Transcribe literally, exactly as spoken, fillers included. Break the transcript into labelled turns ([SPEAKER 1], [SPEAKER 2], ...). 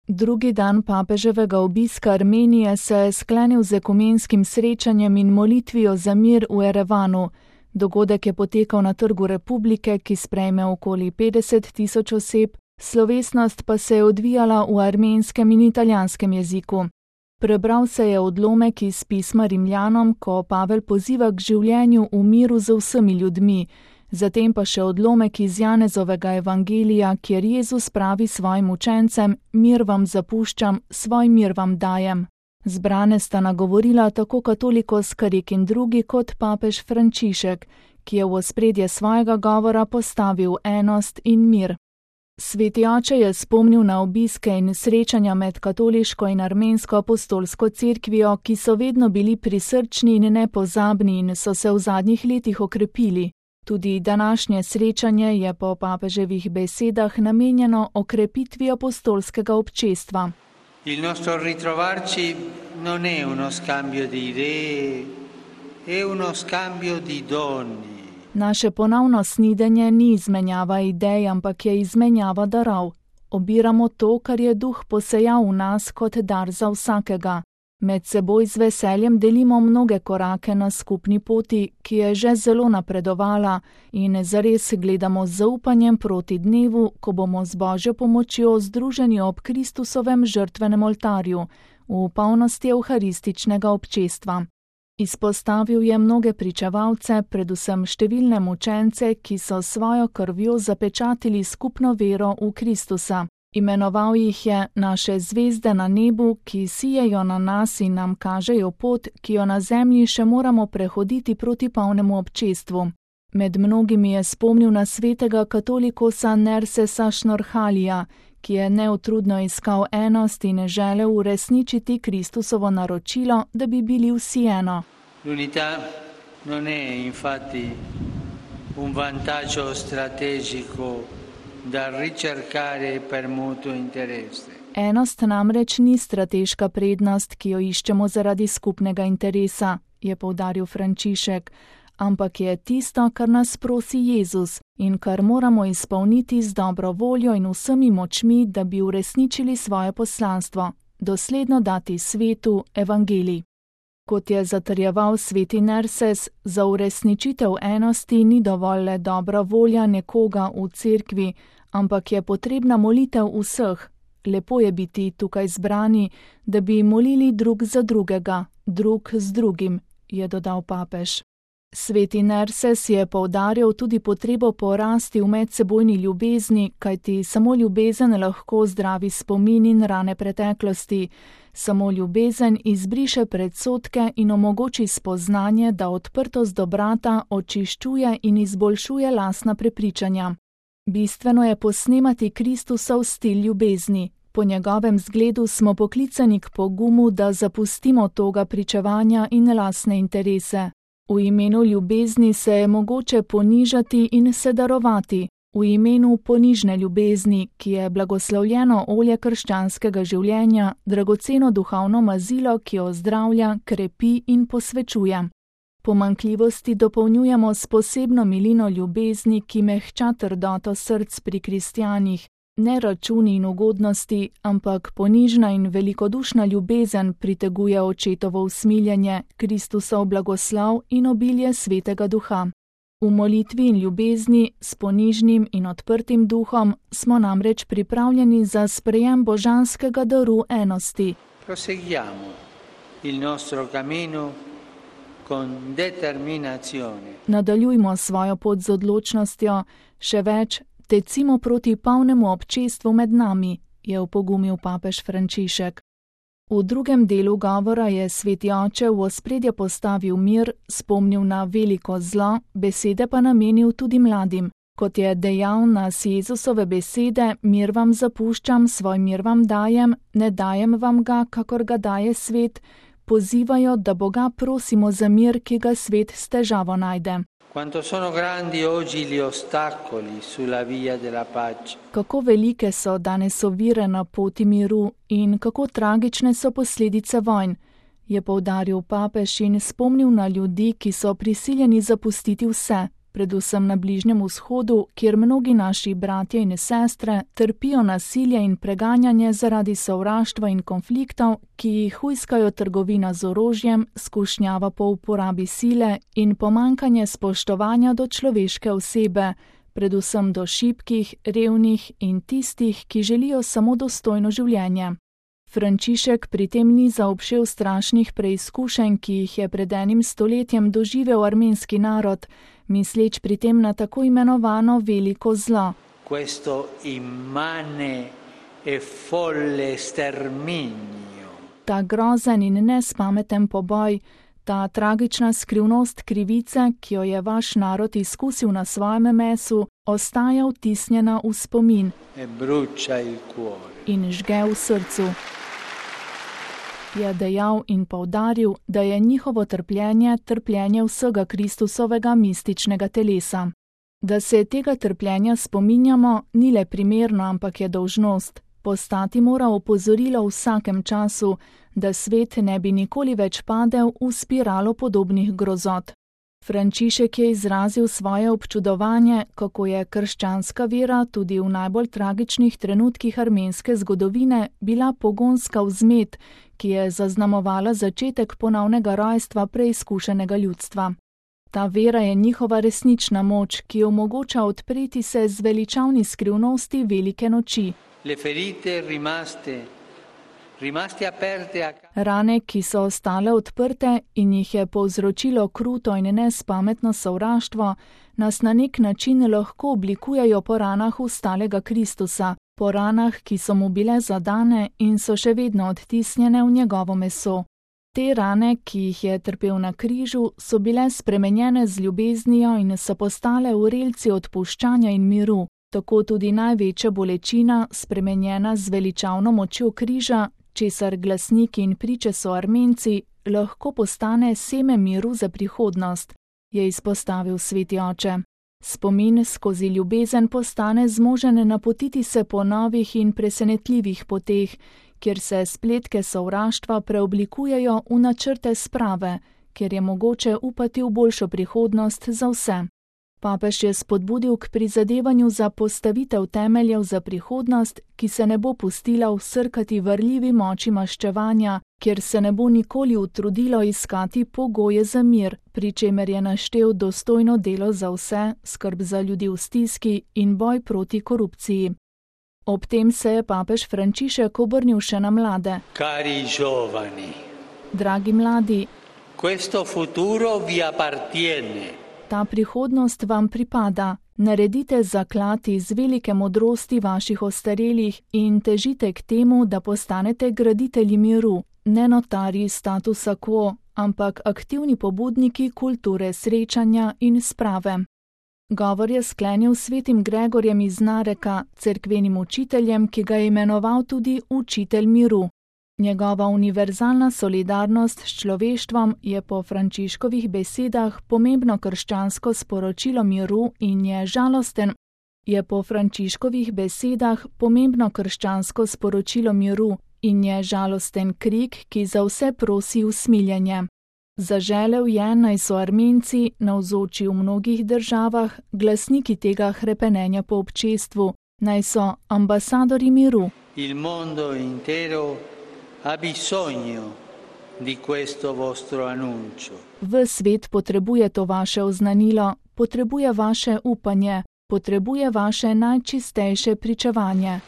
[SPEAKER 1] Drugi dan papeževega obiska Armenije se je sklenil z ekumenskim srečanjem in molitvijo za mir v Erevanu. Dogodek je potekal na Trgu Republike, ki sprejme okoli petdeset tisoč oseb, slovesnost pa se je odvijala v armenskem in italijanskem jeziku. Prebral se je odlomek iz pisma Rimljanom, ko Pavel poziva k življenju v miru z vsemi ljudmi, zatem pa še odlomek iz Janezovega evangelija, kjer Jezus pravi svojim učencem: mir vam zapuščam, svoj mir vam dajem. Zbrane sta nagovorila tako katolikos Karik in drugi kot papež Frančišek, ki je v ospredje svojega govora postavil enost in mir. Sveti oče je spomnil na obiske in srečanja med katoliško in armensko apostolsko cerkvijo, ki so vedno bili prisrčni in nepozabni in so se v zadnjih letih okrepili. Tudi današnje srečanje je po papeževih besedah namenjeno okrepitvi apostolskega občestva.
[SPEAKER 2] Il nostro ritrovarci non è uno scambio di idee, è uno scambio di doni.
[SPEAKER 1] Naše ponovno snidenje ni izmenjava idej, ampak je izmenjava darov. Obiramo to, kar je duh posejal v nas kot dar za vsakega. Med seboj z veseljem delimo mnoge korake na skupni poti, ki je že zelo napredovala, in zares gledamo z zaupanjem proti dnevu, ko bomo z Božjo pomočjo združeni ob Kristusovem žrtvenem oltarju, v polnosti evharističnega občestva. Izpostavil je mnoge pričevalce, predvsem številne mučence, ki so svojo krvjo zapečatili skupno vero v Kristusa. Imenoval jih je naše zvezde na nebu, ki sijejo na nas in nam kažejo pot, ki jo na zemlji še moramo prehoditi proti polnemu občestvu. Med mnogimi je spomnil na svetega katolikosa Nersesa Šnorhalija, ki je neutrudno iskal enost in želel uresničiti Kristusovo naročilo, da bi bili vsi eno.
[SPEAKER 2] L'unità non è infatti un vantaggio strategico da ricercare per mutuo interesse.
[SPEAKER 1] Enost namreč ni strateška prednost, ki jo iščemo zaradi skupnega interesa, je poudaril Frančišek, ampak je tisto, kar nas prosi Jezus in kar moramo izpolniti z dobro voljo in vsemi močmi, da bi uresničili svoje poslanstvo, dosledno dati svetu evangelij. Kot je zatrjeval sveti Nerses, za uresničitev enosti ni dovolj le dobra volja nekoga v cerkvi, ampak je potrebna molitev vseh. Lepo je biti tukaj zbrani, da bi molili drug za drugega, drug z drugim, je dodal papež. Sveti Nerses je poudarjal tudi potrebo po rasti v medsebojni ljubezni, kajti samo ljubezen lahko zdravi spomin in rane preteklosti. Samo ljubezen izbriše predsodke in omogoči spoznanje, da odprtost do brata očiščuje in izboljšuje lastna prepričanja. Bistveno je posnemati Kristusov stil ljubezni. Po njegovem zgledu smo poklicani k pogumu, da zapustimo toga pričevanja in lastne interese. V imenu ljubezni se je mogoče ponižati in se darovati, v imenu ponižne ljubezni, ki je blagoslovljeno olje krščanskega življenja, dragoceno duhovno mazilo, ki ozdravlja, krepi in posvečuje. Pomanjkljivosti dopolnjujemo s posebno milino ljubezni, ki mehča trdoto src pri kristjanih. Ne računi in ugodnosti, ampak ponižna in velikodušna ljubezen priteguje očetovo usmiljenje, Kristusov blagoslov in obilje svetega duha. V molitvi in ljubezni, s ponižnim in odprtim duhom, smo namreč pripravljeni za sprejem božanskega daru enosti.
[SPEAKER 2] Proseguiamo il nostro cammino con determinazione.
[SPEAKER 1] Nadaljujmo svojo pot z odločnostjo, še več, tecimo proti polnemu občestvu med nami, je opogumil papež Frančišek. V drugem delu govora je sveti oče v ospredje postavil mir, spomnil na veliko zlo, besede pa namenil tudi mladim. Kot je dejal nas Jezusove besede: mir vam zapuščam, svoj mir vam dajem, ne dajem vam ga, kakor ga daje svet, pozivajo, da Boga prosimo za mir, ki ga svet s težavo najde.
[SPEAKER 2] Quanto sono grandi oggi gli ostacoli sulla via della pace.
[SPEAKER 1] Kako velike so danes ovire na poti miru in kako tragične so posledice vojn, je poudaril papež in spomnil na ljudi, ki so prisiljeni zapustiti vse, predvsem na Bližnjem vzhodu, kjer mnogi naši bratje in sestre trpijo nasilje in preganjanje zaradi sovraštva in konfliktov, ki jih hujskajo trgovina z orožjem, skušnjava po uporabi sile in pomankanje spoštovanja do človeške osebe, predvsem do šibkih, revnih in tistih, ki želijo samo dostojno življenje. Frančišek pri tem ni zaobšel strašnih preizkušenj, ki jih je pred enim stoletjem doživel armenski narod, misleč pri tem na tako imenovano veliko zlo.
[SPEAKER 2] Questo immane e folle sterminio.
[SPEAKER 1] Ta grozen in nespameten poboj, ta tragična skrivnost krivice, ki jo je vaš narod izkusil na svojem mesu, ostaja vtisnjena v spomin
[SPEAKER 2] E brucia il cuore.
[SPEAKER 1] in žge v srcu. Je dejal in poudaril, da je njihovo trpljenje trpljenje vsega Kristusovega mističnega telesa. Da se tega trpljenja spominjamo, ni le primerno, ampak je dolžnost. Postati mora opozorilo v vsakem času, da svet ne bi nikoli več padel v spiralo podobnih grozot. Frančišek je izrazil svoje občudovanje, kako je krščanska vera tudi v najbolj tragičnih trenutkih armenske zgodovine bila pogonska vzmet, ki je zaznamovala začetek ponovnega rojstva preizkušenega ljudstva. Ta vera je njihova resnična moč, ki omogoča odpreti se zveličavni skrivnosti velike noči.
[SPEAKER 2] Le ferite rimaste, rimaste aperte a...
[SPEAKER 1] Rane, ki so ostale odprte in jih je povzročilo kruto in nespametno sovraštvo, nas na nek način lahko oblikujejo po ranah ustalega Kristusa, po ranah, ki so mu bile zadane in so še vedno odtisnjene v njegovo meso. Te rane, ki jih je trpel na križu, so bile spremenjene z ljubeznijo in so postale vrelci odpuščanja in miru, tako tudi največja bolečina, spremenjena z veličavno močjo križa, česar glasniki in priče so Armenci, lahko postane seme miru za prihodnost, je izpostavil sveti oče. Spomin skozi ljubezen postane zmožen napotiti se po novih in presenetljivih poteh, kjer se spletke sovraštva preoblikujejo v načrte sprave, kjer je mogoče upati v boljšo prihodnost za vse. Papež je spodbudil k prizadevanju za postavitev temeljev za prihodnost, ki se ne bo pustila vsrkati vrljivi moči maščevanja, kjer se ne bo nikoli utrudilo iskati pogoje za mir, pri čemer je naštel dostojno delo za vse, skrb za ljudi v stiski in boj proti korupciji. Ob tem se je papež Frančišek obrnil še na mlade.
[SPEAKER 2] Cari giovani,
[SPEAKER 1] Dragi mladi,
[SPEAKER 2] questo futuro vi appartiene.
[SPEAKER 1] ta prihodnost vam pripada. Naredite zaklad iz velike modrosti vaših ostarelih in težite k temu, da postanete graditelji miru, ne notarji statusa quo, ampak aktivni pobudniki kulture srečanja in sprave. Govor je sklenil svetim Gregorjem iz Nareka, cerkvenim učiteljem, ki ga je imenoval tudi učitelj miru. Njegova univerzalna solidarnost s človeštvom je po Frančiškovih besedah pomembno krščansko sporočilo miru in je žalosten, je po Frančiškovih besedah pomembno krščansko sporočilo miru in je žalosten krik, ki za vse prosi usmiljenje. Zaželel je, naj so Armenci, navzoči v mnogih državah, glasniki tega hrepenenja po občestvu, naj so ambasadori miru.
[SPEAKER 2] Il mondo intero ha bisogno di questo vostro annuncio.
[SPEAKER 1] Ves svet potrebuje to vaše oznanilo, potrebuje vaše upanje, potrebuje vaše najčistejše pričevanje.